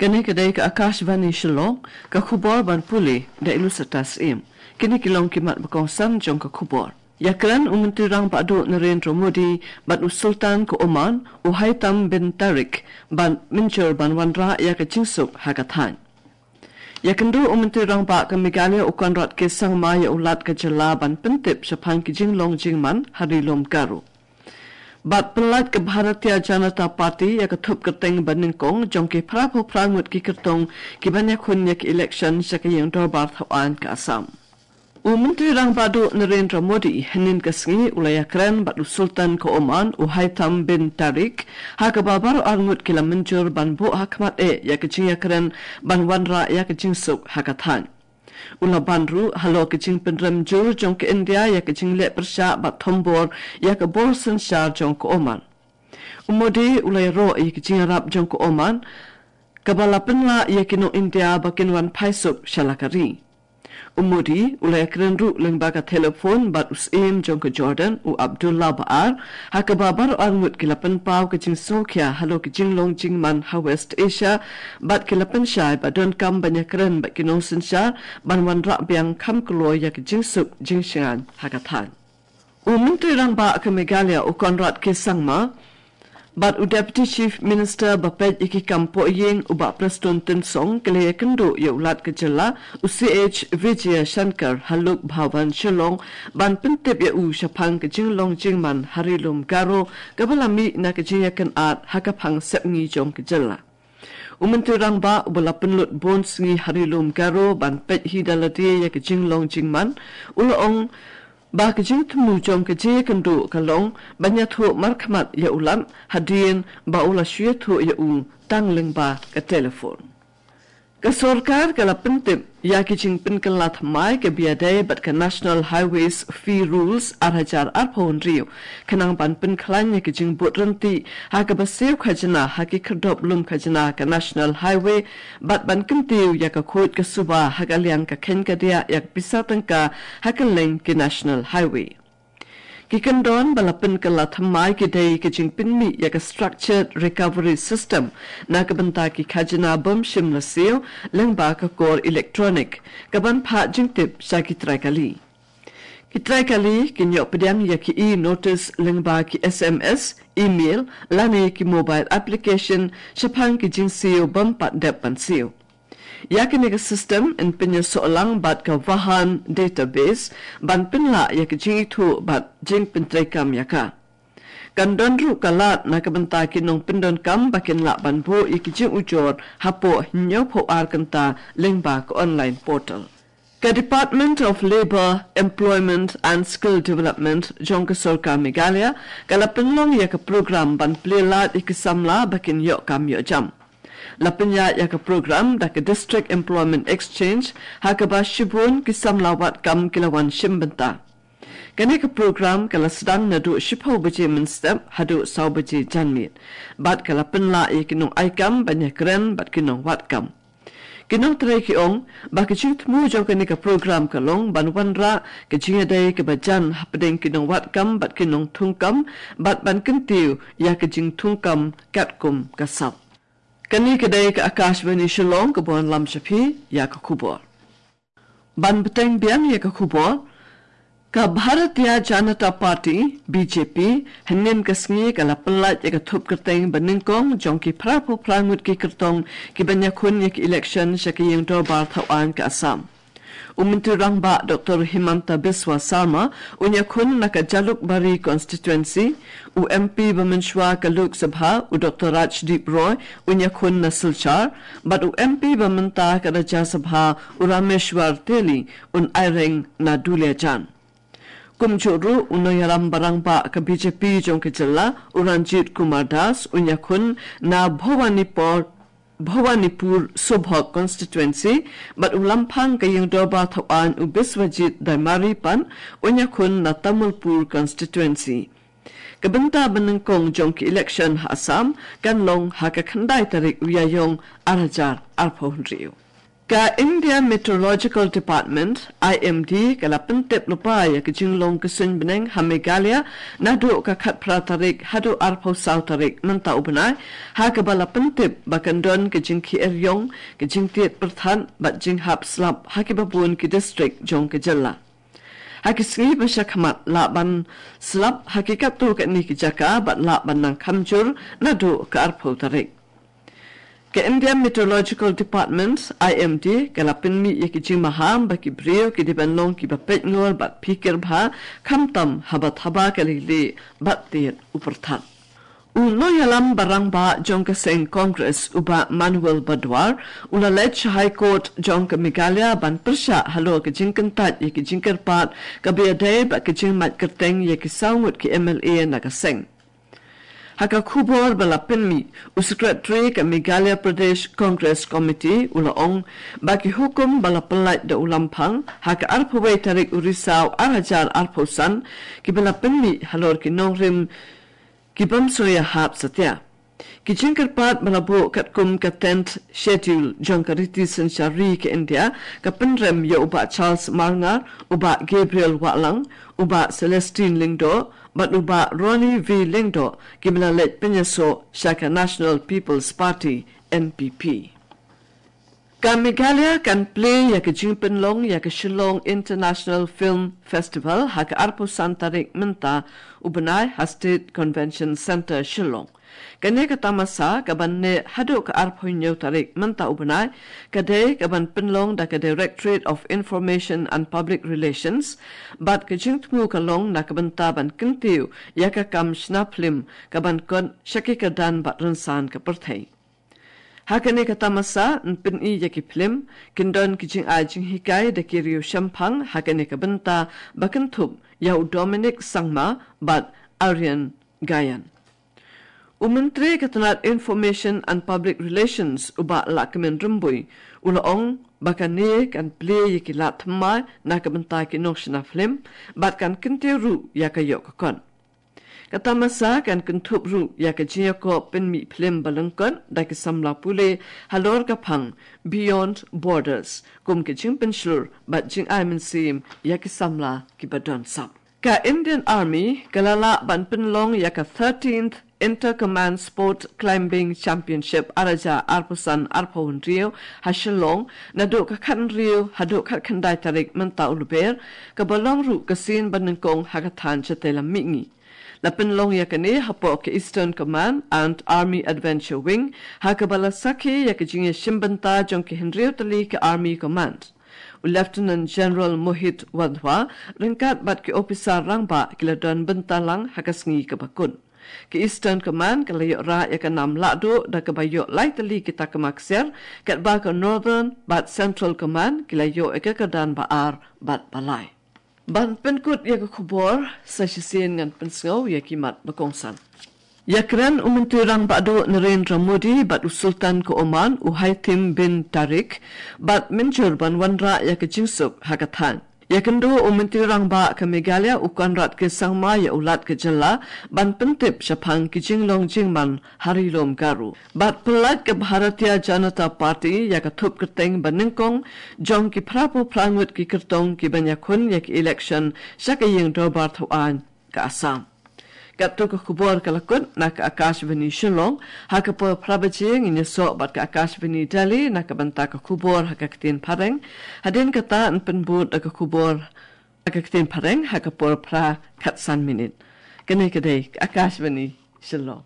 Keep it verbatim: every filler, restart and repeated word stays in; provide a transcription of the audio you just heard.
Kane ka dei ka Akashvani Shillong, ka khubor ban pule da i Lucetta Syiem. Kine ki long ki mat ba kongsan jong ka khubor. Ïakren u Myntri Rangbah Duh Narendra Modi bad u Sultan ka Oman, u Haitham bin Tariq, ban mynjur ban wanrah ïa ka jingsuk ha ka thaiñ. Ïakynduh u Myntri Rangbah ka Meghalaya u Conrad K Sangma ïa u Lat ka jylla ban pyntip shaphang ki jinglong jingman ha Ri Lum Garo. Bad pynlait ka Bharatiya Janata Party ïa ka thup kyrteng banyngkong jong ki phraphra ngut ki kyrtong ki ban ïakhun ïa ka election sha ka ïing dorbar thaw aiñ ka Assam. U Myntri Rangbah Duh Narendra Modi hynnin ka sngi u la ïakren bad u Sultan ka Oman u Haitham bin Tariq, ha kaba baroh ar ngut ki la mynjur ban buh ha khmat eh ïa ka jingïakren ban wanrah ïa ka jingsuk ha ka thaiñ. U la ban ruh halor ka jingpynrem jur jong ka India ïa ka jingleh pyrshah bad thombor ïa ka bor synshar jong ka Oman. U Modi u la ïaroh ïa ka jingïarap jong ka Oman, kaba la pynlah ïa ki nong India ba kin wan phai suk sha la ka ri. U Modi u la ïakren ruh lyngba ka telephone bad u Syiem jong ka Jordan u Abdullah Baar, ha kaba baroh ar ngut ki la pynpaw ka jingsngewkhia halor ka jinglong jingman ha West Asia, bad ki la pynshai ba donkam ban ïakren bad ki nongsynshar ban wanrah biang kham kloi ïa ka jingsuk jingshngaiñ ha ka thaiñ. U Myntri Rangbah ka Meghalaya u Conrad K Sangma bad u Deputy Chief Minister ba peit ïa ki kam pohïing u Bah Prestone Tynsong ki la ïakynduh ïa u Lat ka jylla u C H Vijayashankar ha Lok Bhavan Shillong ban pyntip ïa u shaphang ka jinglong jingman ha Ri Lum Garo, kaba la mih na ka jingïakynad ha ka phang sepngi jong ka jylla. U Myntri Rangbah uba la pynlut bun sngi ha Ri Lum Garo ban peit hi da lade ïa ka jinglong jingman, u la ong ba ka jingthmu jong ka jingïakynduh ka long ban ïathuh markhmat ïa u Lat hadien ba u la shu ïathuh ïa u tang lyngba ka telephone. Ka sorkar ka la pyntip ïa ki jingpynkylla thymmai kiba ïadei bad ka National Highways Fee Rules ar hajar arphew hynriew, khnang ban pynkhlaiñ ïa ki jingbud ryntih ha kaba siew khajna ha ki khyrdop lum khajna ka National Highway, bad ban kyntiew ïa ka khuid ka suba ha ka liang ka kheiñ ka diah ïa ka pisa tyngka ha kylleng ki National Highway. Ki kyndon ba la pynkylla thymmai ki dei ka jingpynmih ïa ka Structured Recovery System na ka bynta ki khajna bym shym la siew lyngba ka kor electronic, kaban phah jingtip sha ki trai kali. Ki trai kali kin ïoh pdiang ïa ki e-notice lyngba ki S M S, email, lane ki mobile application shaphang ki jingsiew bym pat dep ban siew. Ïa kane ka system yn pynïasoh lang bad ka Vahan database ban pynlah ïa ka jingithuh bad jingpyntreikam ïa ka. Kan don ruh ka lad na ka bynta ki nongpyndonkam ba kin lah ban buh ïa ki jingujor hapoh hynñiewphew ar kynta lyngba ka online portal. Ka Department of Labour, Employment and Skill Development jong ka Sorkar Meghalaya ka la pynlong ïa ka program ban plie lad ïa ki samla ba kin ïoh kam ïoh jam. La pynïaid ïa ka program da ka District Employment Exchange, ha kaba shibun ki samla wad kam ki la wan shim bynta. Kane ka program ka la sdang naduh shiphew baje mynstep haduh saw baje janmiet, bad ka la pynlah ïa ki nongai kam ban ïakren bad ki nongwad kam. Ki nongtrei ki ong ba ka jingthmu jong kane ka program ka long ban wanrah ka jingïadei kaba jan hapdeng ki nongwad kam bad ki nongthung kam, bad ban kyntiew ïa ka jingthung kam katkum ka sap. Kane ka dei ka Akashvani Shillong kaba wanlam sha phi ïa ka khubor. Ban bteng biang ïa ka khubor, ka Bharatiya Janata Party, B J P, hynnin ka sngi ka la pynlait ïa ka thup kyrteng banyngkong jong ki phra phew phra ngut ki kyrtong ki ban ïakhun ïa ka election sha ka ïing dorbar thaw aiñ ka Assam. U Myntri Rangbah Doctor Himanta Biswa Sarma un ïakhun na ka Jalukbari constituency, u M P ba mynshuwa ka Lok Sabha u Doctor Rajdeep Roy un ïakhun na Silchar, bad u M P ba mynta ka Rajya Sabha u Rameshwar Teli un aireng na Duliajan. Kumjuh ruh u nongïalam ba rangbah ka B J P jong ka jylla u Ranjit Kumar Das un ïakhun na Bhawanipur, Bhawanipur Sobhok constituency, bad u lamphang ka ïing dorbar thaw aiñ u Biswajit Daimari pat un ïakhun na Tamulpur constituency. Ka bynta banyngkong jong ka election ha Assam kan long ha ka khyndai tarik u Ïaïong ar hajar arphew hynriew. Ka India Meteorological Department, I M D, ka la pyntip lypa ïa ka jinglong ka suiñ bneng ha Meghalaya naduh ka khatphra tarik haduh arphew saw tarik mynta u bnai, ha kaba la pyntip ba kan don ka jingkhie ïong, ka jingtied pyrthat bad jinghap slap ha kiba bun ki distrik jong ka jylla. Ha ki sngi ba sha khmat lah ban slap ha ki katto katne ki jaka bad lah ban nang kham jur naduh ka arphew tarik. Ka India Meteorological Department, I M D, ka la pynmih ïa ki jingmaham ba ki briew ki dei ban long kiba peit ngor bad phikir bha, khamtam haba thaba ka leilieh bad tied u pyrthat. U nongïalam ba rangbah jong ka seng Congress u Bah Manuel Badwar u la leit sha High Court jong ka Meghalaya ban pyrshah halor ka jingkyntait ïa ka jingkyrpad kaba ïadei bad ka jingmait kyrteng ïa ki saw ngut ki M L A na ka seng. Ha ka khubor ba la pynmih, u Secretary ka Meghalaya Pradesh Congress Committee u la ong ba ki hukum ba la pyllait da u Lamphang ha ka arphew wei tarik u Risaw ar hajar arphew san, kiba la pynmih halor ki nongrim ki bym sngewïahap satia. Ki jingkyrpad ba la buh katkum ka Tenth Schedule jong ka riti synshar ri ka India ka pynrem ïa u Bah Charles Marngar, u Bah Gabriel Wahlang, u Bah Celestine Lyngdoh bad u Bah Ronnie V Lyngdoh, kiba la leit pynïasoh sha ka National People's Party, N P P. Ka Meghalaya kan plie ïa ka jingpynlong ïa ka Shillong International Film Festival ha ka arphew san tarik mynta u bnai ha State Convention Centre, Shillong. Kane ka tamasa kaban neh haduh ka arphew hynñiew tarik mynta u bnai, ka dei kaban pynlong da ka Directorate of Information and Public Relations, bad ka jingthmu ka long na ka bynta ban kyntiew ïa ka kam shna phlim kaban kot sha ki kyrdan bad rynsan ka pyrthei. Ha kane ka tamasa yn pyni ïa ki phlim, kin don ki jingai jinghikai da ki riew shemphang ha kane ka bynta ba kynthup ïa u Dominic Sangma bad Aryan Gayan. U Myntri ka tnat Information and Public Relations u Bah Lahkmen Rymbui u la ong ba kane kan plie ïa ki lad thymmai na ka bynta ki nongshna phlim bad kan kyntiew ruh ïa ka ïoh ka kot. Ka tamasa kan kynthup ruh ïa ka jingïakob pynmih phlim ba lyngkot da ki samla pule halor ka phang Beyond Borders kum ka jingpynshlur bad jingai mynsiem ïa ki samla kiba don sap. Ka Indian Army ka la lah ban pynlong ïa ka thirteenth Inter Command Sport Climbing Championship ar hajar arphew san arphew hynriew ha Shillong naduh ka khathynriew haduh khatkhyndai tarik mynta u Lber, kaba long ruh ka sien ba nyngkong ha ka thaiñ shatei lam mihngi. La pynlong ïa kane hapoh ka Eastern Command and Army Adventure Wing, ha kaba la sakhi ïa ka jingïashim bynta jong ki hynriew tylli ka Army Command. U Lieutenant General Mohit Wadhwa ryngkat bad ki ophisar rangbah ki la don bynta lang ha ka sngi kaba kut. Ka Eastern Command ka la ïoh rah ïa ka nam lahduh da kaba ïoh lai tylli ki takma ksiar, katba ka Northern bad Central Command ki la ïoh ïa ka kyrdan ba ar bad ba lai. Ban pynkut ïa ka khubor, sa shisien ngan pynsngew ïa ki mat ba kongsan. Ïakren u Myntri Rangbah Duh Narendra Modi bad u Sultan ka Oman u Haitham bin Tarik, bad mynjur ban wanrah ïa ka jingsuk ha ka thaiñ. Ïakynduh u Myntri Rangbah ka Meghalaya u Conrad K Sangma ïa u Lat ka jylla ban pyntip shaphang ki jinglong jingman ha Ri Lum Garo. Bad pyllait ka Bharatiya Janata Party ïa ka thup kyrteng ba nyngkong jong ki phraphew phra ngut ki kyrtong kiban ïakhun ïa ka election sha ka ïing dorbar thawaiñ ka Assam. Katto ka khubor ka la kut na ka Akashvani Shillong, ha ka por phra baje ngin ïasoh bad ka Akashvani Delhi na ka bynta ka khubor ha ka ktien Phareng. Hadien kata yn pynbud da ka khubor ha ka ktien Phareng ha ka por phra khatsan minit. Kane ka dei ka Akashvani Shillong.